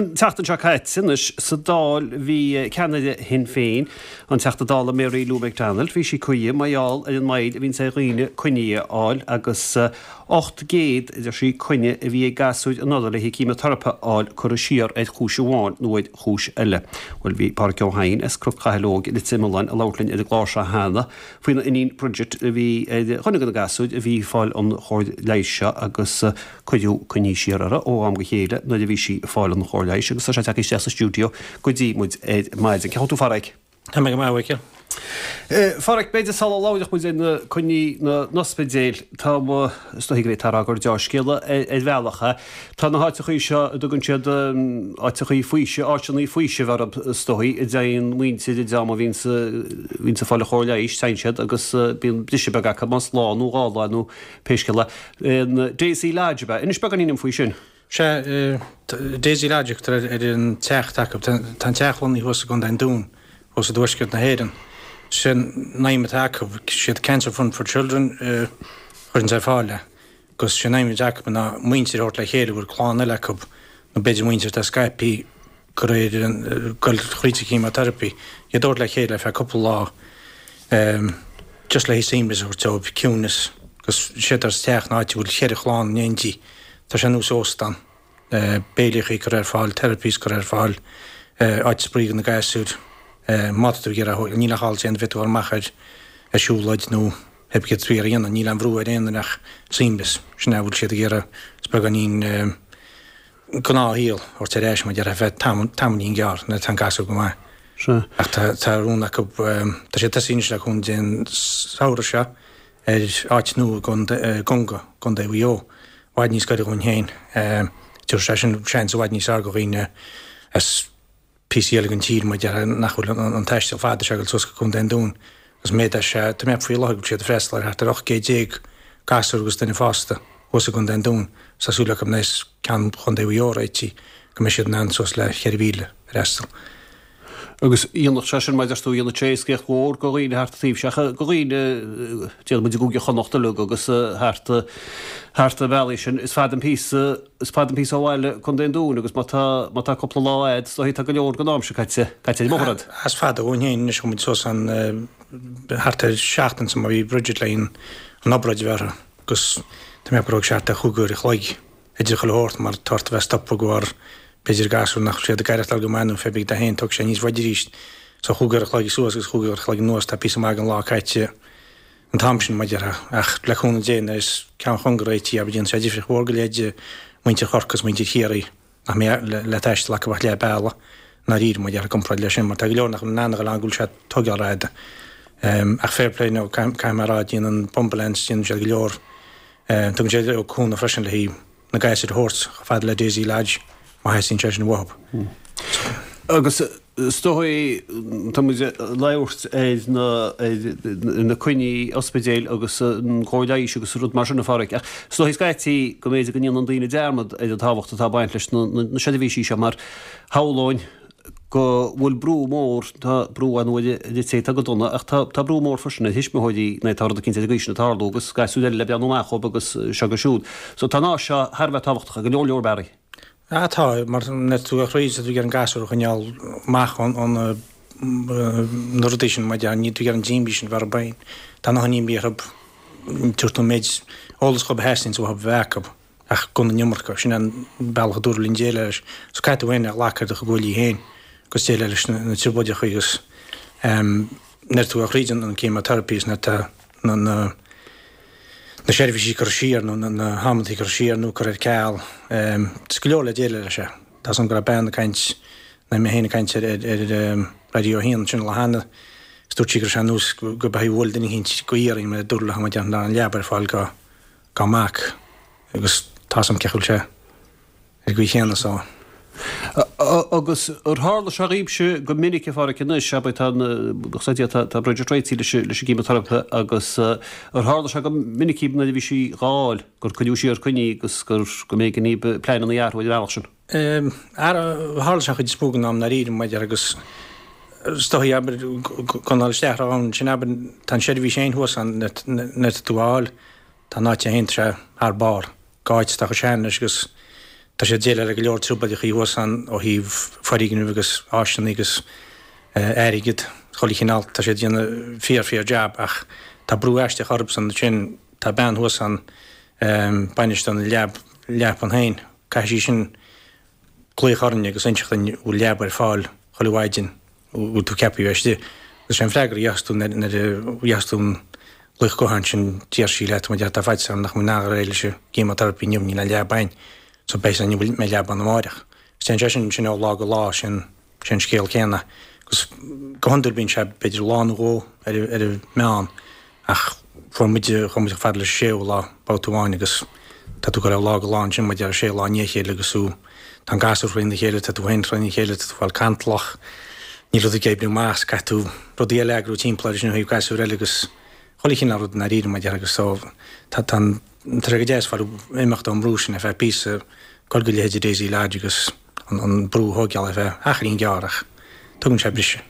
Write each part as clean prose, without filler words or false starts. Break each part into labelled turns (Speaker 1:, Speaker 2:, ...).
Speaker 1: An tseachtain seo caite anois sa Dáil bhí ceannaire Shinn Féin, an Teachta Dála Mary Lou McDonald, bhí sí cuí mar gheall ar an moill a bhíonns ar dhaoine coinní a fháil agus 800, a deir sí, coinne a bhí ag gasúir anuraidh le haghaidh ceimiteiripe a fháil curtha siar ar chúis amháin nó ar chúis eile. Bhuel bhí Pádhraic Ó hEidhin as Cnoc Chathail Óig i Leitir Mealláin ag labhairt linn ar an gclár seo cheana faoina iníon Bridget a bhí ar dhuine de na gasúir a bhí ag fáil an chóir leighis seo agus Cuireadh coinní siar uirthi ó am go chéile nuair a bhí sí ag fáil an chóir leighis agus tá sé tagtha isteach sa stiúideo go dtí muid ar maidin. Cén chaoi a bhfuil tú a Pháraic?
Speaker 2: Tá mé go maith, a Mhichíl.
Speaker 1: Pháraic, b'fhéidir sula labhróidh muid ar na coinní na n-ospidéil, tá, is dóigh go bhféadfá a rá gur deá-scéala ar bhealach é. Tá na háiteachaí seo a dtugann siad áiteachaí faoisimh, áiteanna faoisimh orthu is dóigh, a dtéann muintir an dream a bhíonns ag fáil an chóir leighis, téann siad agus bíonn briseadh beag acu más lá nó dhá lá nó pé scéal é. An Daisy Lodge ab ea? Inis beagáinín dom faoi sin.
Speaker 2: Sea, Daisy Lodge a thugtar ar an teach atá acu. Tá an teach lonnaithe thuas i gContae an Dúin, thuas i dtuaisceart na hÉireann. Sin an aidhm atá acu. Siad Cancer Fund for Children a chuireanns ar fáil é. Agus sin an aidhm atá acu ná muintir a thabhairt le chéile a bhfuil clann eile acu, nó b'fhéidir muintir atá scaipthe de réir ag goil thríd an chemotherapi, iad a thabhairt le chéile ar feadh cúpla lá just le haghaidh suaimhneas a thabhairt dóibh, ciúnas, agus séard atá sa teach ná áit a bhfuil cheithre chlann in éindí. Tá sé ar nós óstán, béilíochaí curtha ar fáil, therapies curtha ar fáil, áit spraoi do na gasúir, má tá tú ag iarraidh, níl ach áil déanamh, féadfaidh tú dul amach ar siúlóid nó pé céard tá tú ag iarraidh a dhéanamh, níl aon bhrú ar aon duine ach suaimhneas, sin é a bhfuil siad ag iarraidh, is beagáinín. gnáthshaol a thabhairt ar ais mar a déarfá ar feadh tamaillín gearr nuair atá an gasúr go maith.
Speaker 1: Sea.
Speaker 2: Ach tá tá rún acu, tá siad tosaithe anois le cúnamh Dé an samhradh seo ar áit nua i gConga, Contae Mhaigh Eo, i bhfad níos gaire dhúinn féin. Tabharfaidh sé sin seans i bhfad níos fearr do dhaoine as píosaí eile den tír, mar a déarfá, nach bhfuil an taisteal fada seo ag dul suas go Contae an Dúin agus méadaíonn sé, tá mé faoi láthair go bhfuil siad ag freastal ar thart ar 18 céad gasúr agus duine fásta thuas i gContae an Dúin agus tá súil acu nuair a bheas ceann Chontae Mhaigh Eo réitithe go mbeidh siad in ann suas le 4,000 a fhreastal.
Speaker 1: Agus dhéanfadh sé sin, mar a deir tú, dhéanfadh sé éascaíocht mhór do dhaoine thart an taobh seo, do dhaoine, déarfaidh muid i gCúige Chonnacht uilig agus thart thart na bealaí sin. Is fada an píosa, is fada an píosa ó bhaile Contae an Dúin agus má tá, má tá cúpla lá a'd, is dóichí tá go leor den am sin caite, caite ar an mbóthar a'd.
Speaker 2: Is fada dhúinn féin anois, chuaigh muid suas ann thart ar seachtain san má bhí Bridget le an obráid a bheith uirthi agus tá mé ag ceapadh go raibh sé thart ar chúig uair a chloig. idir chuile shórt mar tá ort a bheith ag stopadh de bharr b'fhéidir gasúr nach bhfuil siad ag aireachtáil go maith nó pé bith de féin tógfaidh sé níos faide arís. So chúig uair a chloig suas agus chúig uair a chloig anuas tá píosa maith den lá caite an t-am sin mar a déarfá ach le cúnamh Dé nuair a bheas ceann Chonga réitithe abair déanfaidh sé difríocht mhór go leith do mhuintir Chorcaí agus muintir Chiarraí nach mbeidh le taisteal acu ach leath bealaigh i ndáiríre mar a déarfá i gcomparáid leis sin mar tá go leor nach bhfuil in ann a dhul ann go bhfuil sé tógáil ró-fhada. Ach fair play nó caithfidh mé a rá déanann Bumbleance déanann siad go leor Tugann siad cúnamh freisin le haghaidh na gasúir a thabhairt chomh fada le Daisy Lodge má theastaíonn sé sin uathu.
Speaker 1: Agus is dóigh, tá muid ag labhairt ar na, ar na coinní ospidéil agus an chóir leighis agus rud mar sin a Pháraic, ach is dóigh scaití go mb'fhéidir go ndéanann daoine dearmad ar an tábhacht atá ag baint leis na seirbhísí seo mar shamhlóinn go bhfuil brú mór, tá brú ar ndóigh ar an té atá go dona, ach tá, tá brú mór freisin ar thuismitheoirí nuair atá rud eicínt ar an gcaoi sin ag tarlú agus gasúir eile le breathnú amach dhóibh agus seo agus siúd. So tá an áis seo thar a bheith tábhachtach i go leor leor bealaí.
Speaker 2: Ah tá, mar nuair atá tú ag troid tá tú ag iarraidh an gasúr a choinneáil amach ó na na rudaí sin, mar a déarfá, níl tú ag iarraidh an imní sin a bheith orthu féin. Tá a ndóthain imní orthu, tabhairt an méid eolas dhóibh a theastaíonns uathu a bheith acu. ach gan an iomarca. Sin an bealach a dúradh linn déileáil leis. So caithfidh tú féin a ghlacadh ar do chuid guaillí féin agus déileáil leis na trioblóideacha agus nuair atá tú ag dul thríd an chemotherapy is nuair atá na na na seirbhísí curtha siar nó na hamantaí curtha siar nó curtha ar ceal. Is go leor le déileáil leis é. Tá 's agam go raibh bean ag caint, nó mé féin ag caint ar ar Raidió 1 ansin an lá cheana is dúirt sí go raibh sé ar nós go mbeifí ag bualadh duine eicínt go iarainn mar a dúradh léi mar nach raibh an leaba ar fáil go dá mac agus tá 's agam cén chaoi a bhfuil sé ar an gcaoi chéanna so.
Speaker 1: Agus ar tharla sé dhaoibhse go minic a Pháraic anois, abair tá tá tá Bridget réitithe leis leis an gceimiteiripe agus ar tharla sé go minic dhaoibh nuair a bhí sí dhá fháil gur cuireadh siar coinní agus gur go mb'éigean dhaoibh pleananna a athrú ar an bhealach sin?
Speaker 2: Tharla sé an chuid is mó den am i ndáiríre maidir agus is dóigh abair gan dul isteach ann sin abair tá an seirbhís féin thuas ann nuair atá tú á fháil. Tá an áit féin tá sé thar barr. Go áit atá chomh sean leis agus Tá siad ag déileáil le go leor trioblóideachaí thuas ann ó thaobh foirgnimh agus áiseanna agus airgead, chuile chineál. Tá siad ag déanamh fíor fíor jab ach tá brú aisteach orthusan ansin. Tá bean thuas ann, bainisteoir na leab, leapan féin. Caithfidh sí sin glaoch orainn agus inseacht duinn an bhfuil leaba ar fáil chuile mhaidin, an bhfuil tú ceaptha a bheith istigh. Agus sé an freagra a gheobhas tú nuair a gheobhas tú an glaoch gutháin sin, déarfaidh sí leat, má tá faitíos orm nach mbeidh in ann réidh leis an gceimiteiripe inniu, níl aon leaba ann, so beidh an mbeidh leaba ann amáireach. Agus téann sé sin sin ó lá go lá, sin an scéal céanna. Agus go hiondúil bíonn sé b'fhéidir lá nó dhó ar an meán. Ach fuair muid, chuaigh muid chomh fada leis an séú lá, babhta amháin agus tá tú ag dul ó lá go lá ansin, muid ar sé lá i ndiaidh a chéile agus tú, tá an gasúr thrína chéile, tá tú féin trína chéile, tá tú ag fáil cantalach, níl rud ag oibriú amach, caithfidh tú rudaí eile a eagrú timpeall air sin ó thaobh gasúir eile agus chuile chineál rud i ndáiríre mar a déarfá agus so tá, tá an, tá sé go deas fáil imeacht ón mbrú sin ar feadh píosa, dul go leithéidí Daisy Lodge agus an, an brú a thóigeáil ar feadh achairín gearr ach tugann sé briseadh.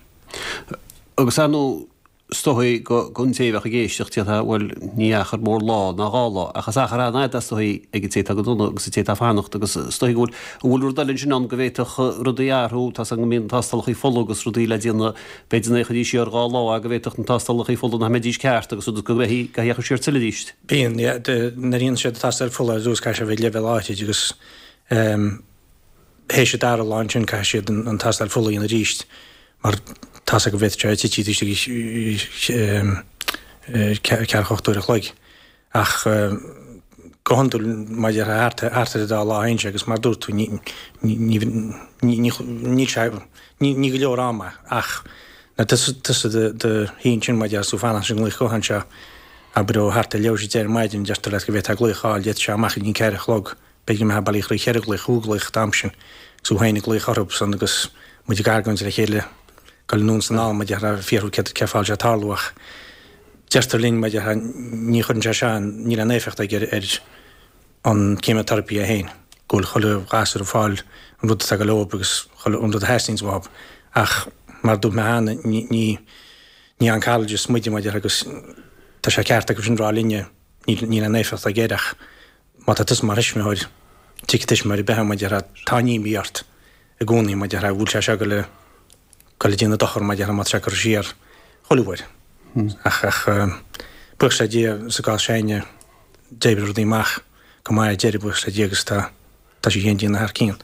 Speaker 1: Agus ar ndóigh Is dóigh don té a bheadh ag éisteacht, déarfá, bhuel, ní achar mór lá ná dhá lá, ach is achar an-fhada, is dóigh, ag an té atá go dona agus an té atá ag fanacht agus is dóigh go bhfuil, an bhfuil rud eile ansin ann go bhféadfadh rudaí a athrú, tá's agam go mbíonn tástálacha fola agus rudaí le déanamh, b'fhéidir nach dtéidís siar dhá lá ach go bhféadfadh na tástálacha fola nach mbeidís ceart agus rud go mbeidh, go dteachaidh siar tuilleadh arís.
Speaker 2: Bíonn, yeah, nuair a dhéanann siad tástáil fola ar dtús caithfidh sé a bheith ag leibhéal áithrid agus ehm, théis an dara lá ansin caithfidh siad an tástáil fola a dhéanamh arís mar tá's acu go bhféadfadh sé titim istigh i ceathracha 8 uair a chloig. Ach go hiondúil mar a déarfá thart ar an dá lá a théann sé agus mar a dúirt tú ní níl sé ní go leor ama ach nuair atá tusa i do shuí ansin mar a déarfá is tú ag fanacht leis an nglaoch gutháin seo abair ó thart ar leathuair tar éis a deich ar maidin deirtear leat go bhféadfá glaoch a fháil d'fhéadfadh sé amach go dtí an ceathair a chlog B'fhéidir go mbeifeá bailí thrí cheithre ghlaoch, chúig ghlaoch an t-am sin, agus thú féin ag glaoch orthu san agus muid ag argóint le chéile, ag dul anonn is anall, mar a déarfá, ag fiafraí céard, cén fáth a bhfuil sé ag tarlú ach deirtear linn, mar a déarfá, ní chuireann sé seo, níl aon éifeacht aige ar an cheimiteiripe é féin, go bhfuil chuile ghasúr ag fáil an rud atá ag dul leob agus chuile, an rud a theastaíonns uathub. Ach mar a dúirt mé cheana, ní, ní, ní oncologist muide, mar a déarfá, agus tá sé ceart acu sin rá linne, níl, níl aon éifeacht aige air ach Má tá tusa mar thuismitheoir, tuigfidh tuismitheoir ar bith mar a déarfá, tá an imní ort i gcónaí mar a déarfá, an bhfuil sé seo ag dul ag déanamh dochar mar a déarfá má tá sé curtha siar chuile uair. Ach, ach buíochas le Dia sa gcás s'againne d'oibrigh rudaí amach go maith ar deireadh buíochas le Dia agus tá tá sí féin ag déanamh thar cionn.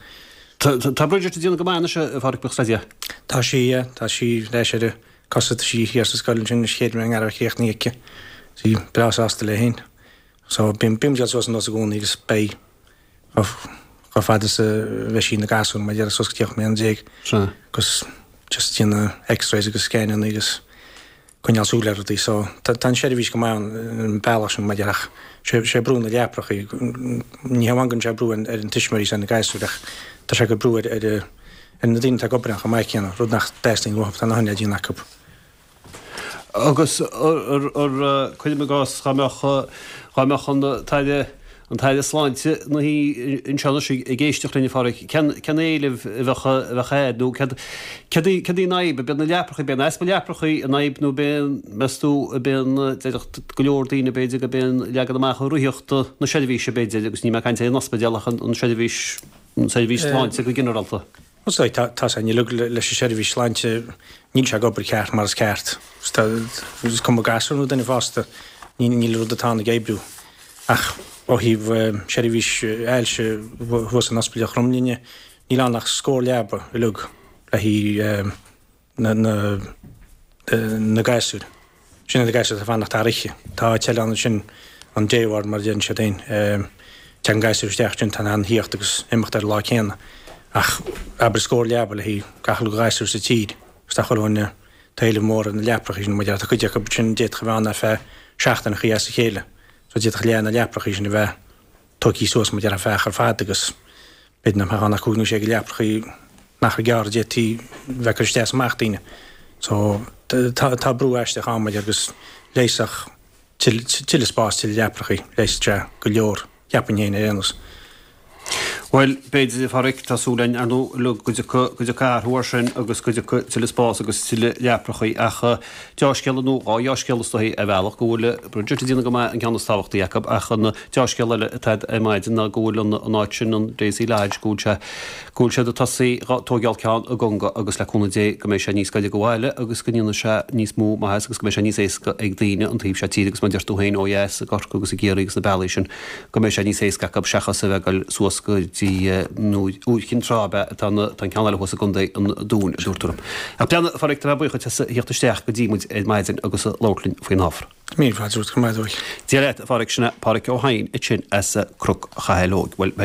Speaker 1: Tá Bridget ag déanamh go maith anois a Phádraic, buíochas le Dia.
Speaker 2: Tá sí, yeah, tá sí ar ais ar a cosa, tá sí thiar sa scoil ansin is chéad rang a raibh críochnaithe aici. Tá sí breá sásta léi féin. So bíonn muid ag dul suas anuas i gcónaí agus beidh chomh fada is a bheidh sí ina gasúr mar a déarfá suas go dtí 18 mbliana.
Speaker 1: Sea.
Speaker 2: Agus just déanamh x-rays agus scananna agus coinneáil súil ar rudaí. So tá an seirbhís go maith ann an bealach sin mar a déarfá ach sé sé brú na leaprachaí ní hamháin go mbíonn sé brú ar an tuismitheoirí is ar na gasúir ach tá sé ag cur brú ar ar ar na daoine atá ag obair ann chomh maith céanna, rud nach dteastaíonn uathu, tá a ndóthain le déanamh acu.
Speaker 1: Agus cuirim i gcás dá mbeadh, dá mbeadh an tAire, an tAire Sláinte ina shuí anseo anois ag éisteacht linn, a Phádraic, cén, cén éileamh a bheadh, a bheadh air nó céard, céard í, céard í an fhadhb? Ab é na leaprachaí, ab é an easpa leaprachaí an fhadhb nó ab é an, meas tú, ab é an, déarfadh go leor daoine b'fhéidir gurb é an leagan amach rithíochta na seirbhíse b'fhéidir agus níl mé ag caint ar an ospidéal ach an, an seirbhís, an seirbhís sláinte go ginearálta.
Speaker 2: Bhuel, tá a fhios againn uilig leis an seirbhís sláinte, níl sé ag obair ceart mar is ceart. Is cuma gasúr nó duine fásta, níl an rud atá ann ag oibriú. Ach ó thaobh seirbhís ailse thuas in Ospidéal Chromghlinne, níl ann ach scór leaba uilig le haghaidh na na gasúir. Sin iad na gasúir atá ag fanacht thar oíche. Tá áit eile ann ansin, an day ward mar a deireann siad féin. Tagann gasúir isteach ansin, tá in ann theacht agus imeacht ar an lá céanna. Ach abair scór leaba le haghaidh gach uile ghasúr sa tír agus tá chuile dhuine, tá éileamh mór ar na leaprachaí sin. Mar tá cuid acu sin d'fhéadfadh a bheith ann ar feadh seachtaineachaí as a chéile. So d'fhéadfadh leath na leaprachaí sin a bheith tógtha suas mar a déarfá feadh achar fada agus b'fhéidir nach mbeadh ann ach cúig nó sé de leaprachaí in achar gearr a d'fhéadfaí bheith ag cur isteach is amach daoine. So tá tá brú aisteach ann mar agus leigheasfadh tuilleadh spás, tuilleadh leaprachaí, leigheasfadh sé go leor, cheapfainn féin ar aon nós.
Speaker 1: Bhuel, b'fhéidir, a Pháraic, tá súil againn, ar ndóigh, go dtiocfaidh, go dtiocfaidh athrú air sin agus go dtiocfaidh tuilleadh spás agus tuilleadh leaprachaí ach deá-scéala nó dhá dheá-scéala is dóichí ar bhealach go bhfuil Bridget ag déanamh go maith an ceann is tábhachtaí acu ach an deá-scéal eile atá ar maidin ná go bhfuil an an áit sin, an Daisy Lodge, go bhfuil sé, go bhfuil siad ag tosaí dhá tóigeáil ceann i gConga agus le cúnamh Dé go mbeidh sé níos gaire go bhaile agus go ndéanfaidh sé níos mó maitheas agus go mbeidh sé níos éasca ag daoine an taobh seo tíre agus mar a deir tú féin ó dheas i gCorcaigh agus i gCiarraí agus na bealaí sin go mbeidh sé níos éasca acu seachas a bheith ag dul suas go dtí nó Iúr Chinn Trá ab ea atá an tá an ceann eile thuas i gContae an Dúin, a dúirt tú liom. Ach breathnaigh, a Pháraic, tá mé buíoch duit as a thíocht isteach go dtí muid ar maidin agus a labhairt linn faoin ábhar.
Speaker 2: Míle fáilte romhat, go raibh maith agat.
Speaker 1: Dia leat, a Pháraic, sin é Páraic Ó hEidhin ansin as Cnoc Chathail Óig. Bhuel, beidh.